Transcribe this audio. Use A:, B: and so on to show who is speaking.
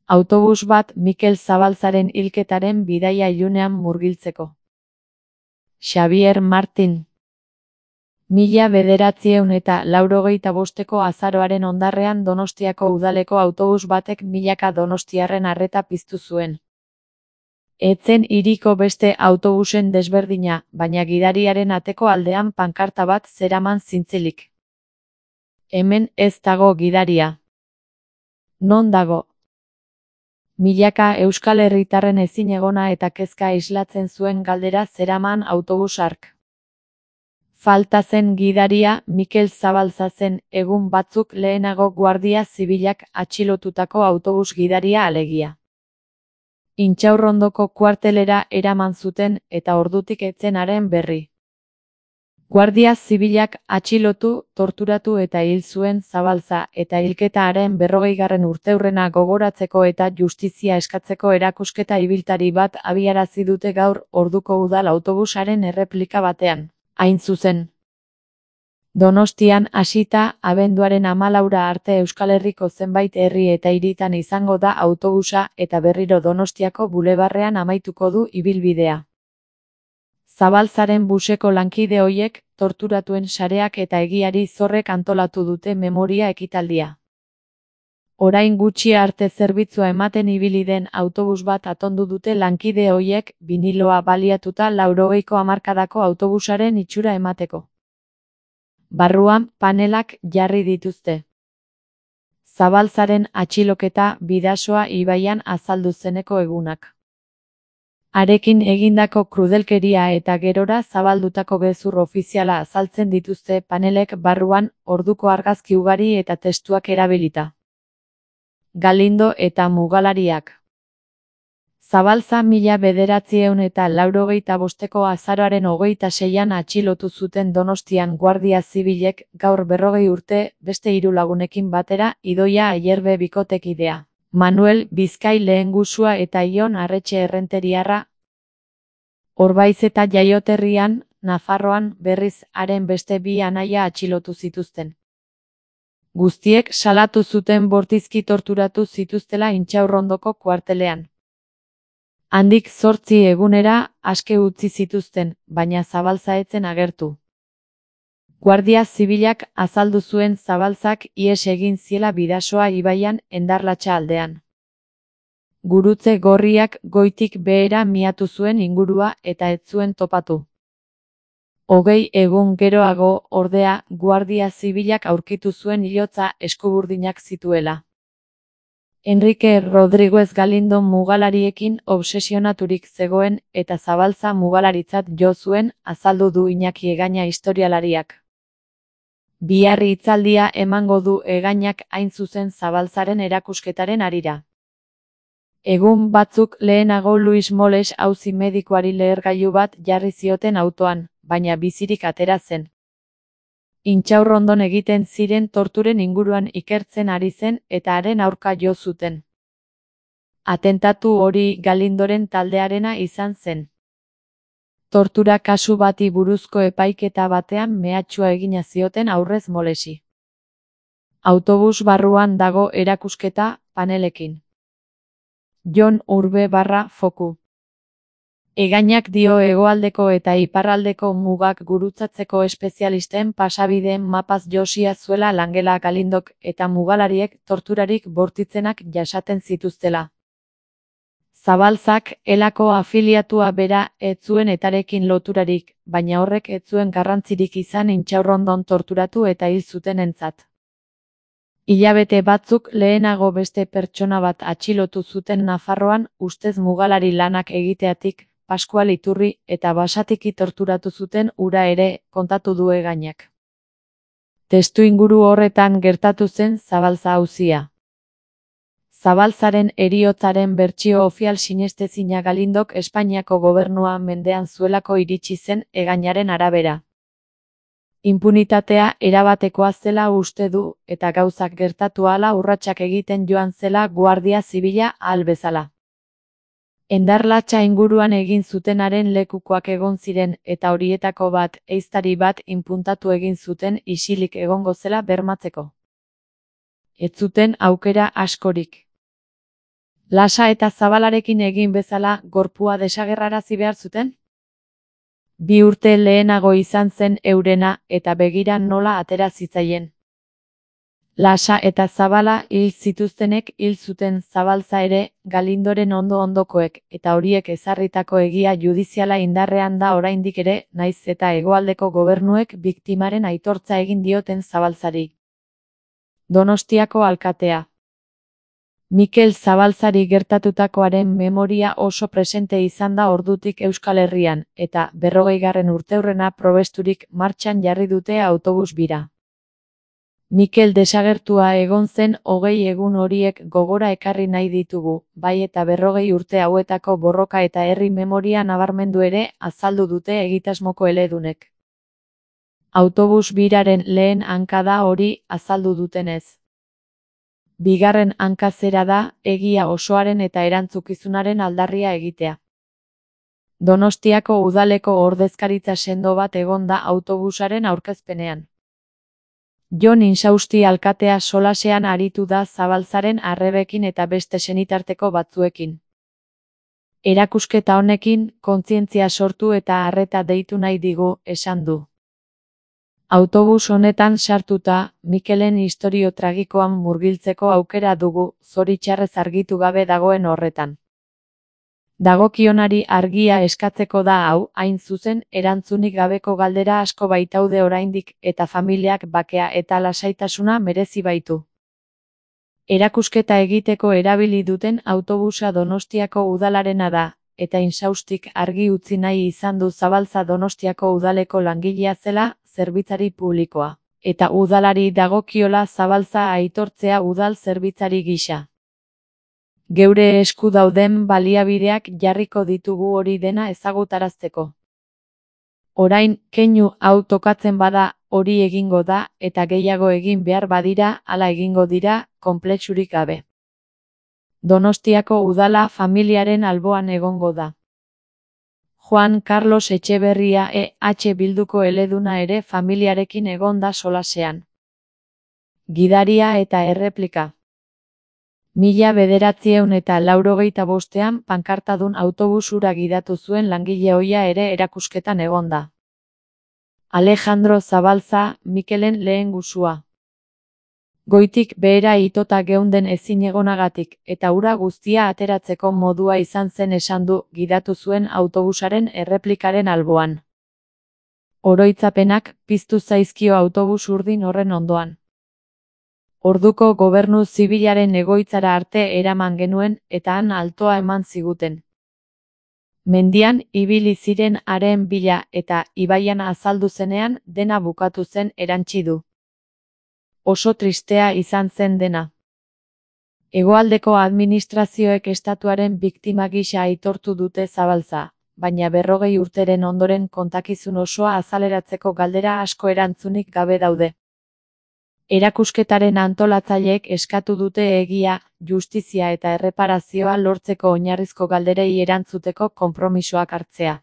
A: Autobus bat Mikel Zabalzaren hilketaren bidaia ilunean murgiltzeko. Xabier Martin. 1985ko azaroaren ondarrean Donostiako udaleko autobus batek milaka donostiarren arreta piztu zuen. Etzen hiriko beste autobusen desberdina, baina gidariaren ateko aldean pankarta bat zeraman zintzilik. Hemen ez dago gidaria. Non dago? Milaka euskal herritarren ezinegona eta kezka islatzen zuen galdera zeraman autobus hark. Falta zen gidaria Mikel Zabalza zen, egun batzuk lehenago Guardia Zibilak atxilotutako autobus gidaria alegia. Intxaurrondoko kuartelera eraman zuten eta ordutik etzen haren berri. Guardia Zibilak atxilotu, torturatu eta hil zuen Zabalza eta hilketa haren 40. urteurrena gogoratzeko eta justizia eskatzeko erakusketa ibiltari bat abiarazi dute gaur orduko udal autobusaren erreplika batean. Hain zuzen. Donostian hasita, abenduaren 14 arte Euskal Herriko zenbait herri eta hiritan izango da autobusa eta berriro Donostiako bulebarrean amaituko du ibilbidea. Zabalzaren buseko lankide hoiek, torturatuen sareak eta egiari zorrek antolatu dute memoria ekitaldia. Orain gutxi arte zerbitzua ematen ibili den autobus bat atondu dute lankide hoiek, biniloa baliatuta 80ko hamarkadako autobusaren itxura emateko. Barruan panelak jarri dituzte. Zabalzaren atxiloketa Bidasoa ibaian azaldu zeneko egunak. Harekin egindako krudelkeria eta gerora zabaldutako gezur ofiziala azaltzen dituzte panelek barruan orduko argazki ugari eta testuak erabilita. Galindo eta mugalariak. Zabalza 1985ko azaroaren 26an atxilotu zuten Donostian Guardia Zibilek gaur 40 urte beste 3 lagunekin batera Idoia Ayerbe bikotekidea. Manuel Bizkai lehengusua eta Ion Arretxe errenteriarra. Orbaiz eta jaioterrian, Nafarroan berriz haren beste 2 anaia atxilotu zituzten. Guztiek salatu zuten bortizki torturatu zituztela Intxaurrondoko kuartelean. Handik 8 egunera aske utzi zituzten, baina Zabalza etzen agertu. Guardia Zibilak azaldu zuen Zabalzak ihes egin ziela Bidasoa ibaian Endarlatxa aldean. Gurutze gorriak goitik behera miatu zuen ingurua eta ez zuen topatu. 20 egun geroago, ordea, Guardia Zibilak aurkitu zuen hilotza eskuburdinak zituela. Enrique Rodriguez Galindo mugalariekin obsesionaturik zegoen eta Zabalza mugalaritzat jo zuen, azaldu du Iñaki Egaña historialariak. Bihar hitzaldia emango du Egainak hain zuzen Zabalzaren erakusketaren harira. Egun batzuk lehenago Luis Moles auzi medikuari lehergailu bat jarri zioten autoan, baina bizirik atera zen. Intxaurrondon egiten ziren torturen inguruan ikertzen ari zen eta haren aurka jo zuten. Atentatu hori Galindoren taldearena izan zen. Tortura kasu bati buruzko epaiketa batean mehatxua egina zioten aurrez Molesi. Autobus barruan dago erakusketa, panelekin. Jon Urbe /Foku. Egainak dio hegoaldeko eta iparraldeko mugak gurutzatzeko espezialisten pasabideen mapaz josia zuela Langela Galindok eta mugalariek torturarik bortitzenak jasaten zituztela. Zabalzak elako afiliatua bera ez zuen etarekin loturarik, baina horrek ez zuen garrantzirik izan Intxaurrondon torturatu eta hil zutenentzat. Hilabete batzuk lehenago beste pertsona bat atxilotu zuten Nafarroan ustez mugalari lanak egiteatik, Paskual Iturri eta basatiki torturatu zuten hura ere, kontatu du Egainak. Testuinguru horretan gertatu zen Zabalza auzia. Zabalzaren heriotzaren bertsio ofial sinestezina Galindok Espainiako gobernua mendean zuelako iritsi zen Egainaren arabera. Inpunitatea erabatekoa zela uste du eta gauzak gertatu ahala urratsak egiten joan zela Guardia Zibila ahal bezala. Endarlatxa inguruan egin zutenaren lekukoak egon ziren eta horietako bat, ehiztari bat inpuntatu egin zuten isilik egongo zela bermatzeko. Ez zuten aukera askorik. Lasa eta Zabalarekin egin bezala gorpua desagerrarazi behar zuten? 2 urte lehenago izan zen eurena eta begira nola atera zitzaien. Lasa eta Zabala hil zituztenek hil zuten Zabalza ere, Galindoren ondokoek, eta horiek ezarritako egia judiziala indarrean da oraindik ere, naiz eta hegoaldeko gobernuek biktimaren aitortza egin dioten Zabalzari. Donostiako alkatea. Mikel Zabalzari gertatutakoaren memoria oso presente izan da ordutik Euskal Herrian, eta 40. urteurrena probesturik martxan jarri dute autobus bira. Mikel desagertua egon zen 20 egun horiek gogora ekarri nahi ditugu, bai eta 40 urte hauetako borroka eta herri memoria nabarmendu ere azaldu dute egitasmoko eledunek. Autobus biraren lehen hanka da hori azaldu dutenez. Bigarren hanka zera da, egia osoaren eta erantzukizunaren aldarria egitea. Donostiako udaleko ordezkaritza sendo bat egon da autobusaren aurkezpenean. Jon Insausti alkatea solasean aritu da Zabalzaren arrebekin eta beste senitarteko batzuekin. Erakusketa honekin, kontzientzia sortu eta arreta deitu nahi digu, esan du. Autobus honetan sartuta, Mikelen istorio tragikoan murgiltzeko aukera dugu, zoritxarrez argitu gabe dagoen horretan. Dagokionari argia eskatzeko da hau, hain zuzen, erantzunik gabeko galdera asko baitaude oraindik, eta familiak bakea eta lasaitasuna merezi baitu. Erakusketa egiteko erabili duten autobusa Donostiako udalarena da, eta Insaustik argi utzi nahi izan du Zabalza Donostiako udaleko langilea zela, zerbitzari publikoa, eta udalari dagokiola Zabalza aitortzea udal zerbitzari gisa. Geure esku dauden baliabideak jarriko ditugu hori dena ezagutarazteko. Orain, keinu hau tokatzen bada, hori egingo da, eta gehiago egin behar badira, hala egingo dira, konplexurik gabe. Donostiako udala familiaren alboan egongo da. Juan Carlos Etxeberria EH Bilduko eleduna ere familiarekin egon da solasean. Gidaria eta erreplika. 1985ean pankartadun autobus hura gidatu zuen langile ohia ere erakusketan egon da. Alejandro Zabalza, Mikelen lehen gusua. Goitik behera itota geunden ezinegonagatik, eta ura guztia ateratzeko modua izan zen esan du gidatu zuen autobusaren erreplikaren alboan. Oroitzapenak piztu zaizkio autobus urdin horren ondoan. Orduko gobernu zibilaren egoitzara arte eraman genuen eta han altoa eman ziguten. Mendian ibili ziren haren bila eta ibaian azaldu zenean dena bukatu zen erantsi du. Oso tristea izan zen dena. Hegoaldeko administrazioek estatuaren biktima gisa aitortu dute Zabalza, baina 40 urteren ondoren kontakizun osoa azaleratzeko galdera asko erantzunik gabe daude. Erakusketaren antolatzaileek eskatu dute egia, justizia eta erreparazioa lortzeko oinarrizko galderei erantzuteko konpromisoak hartzea.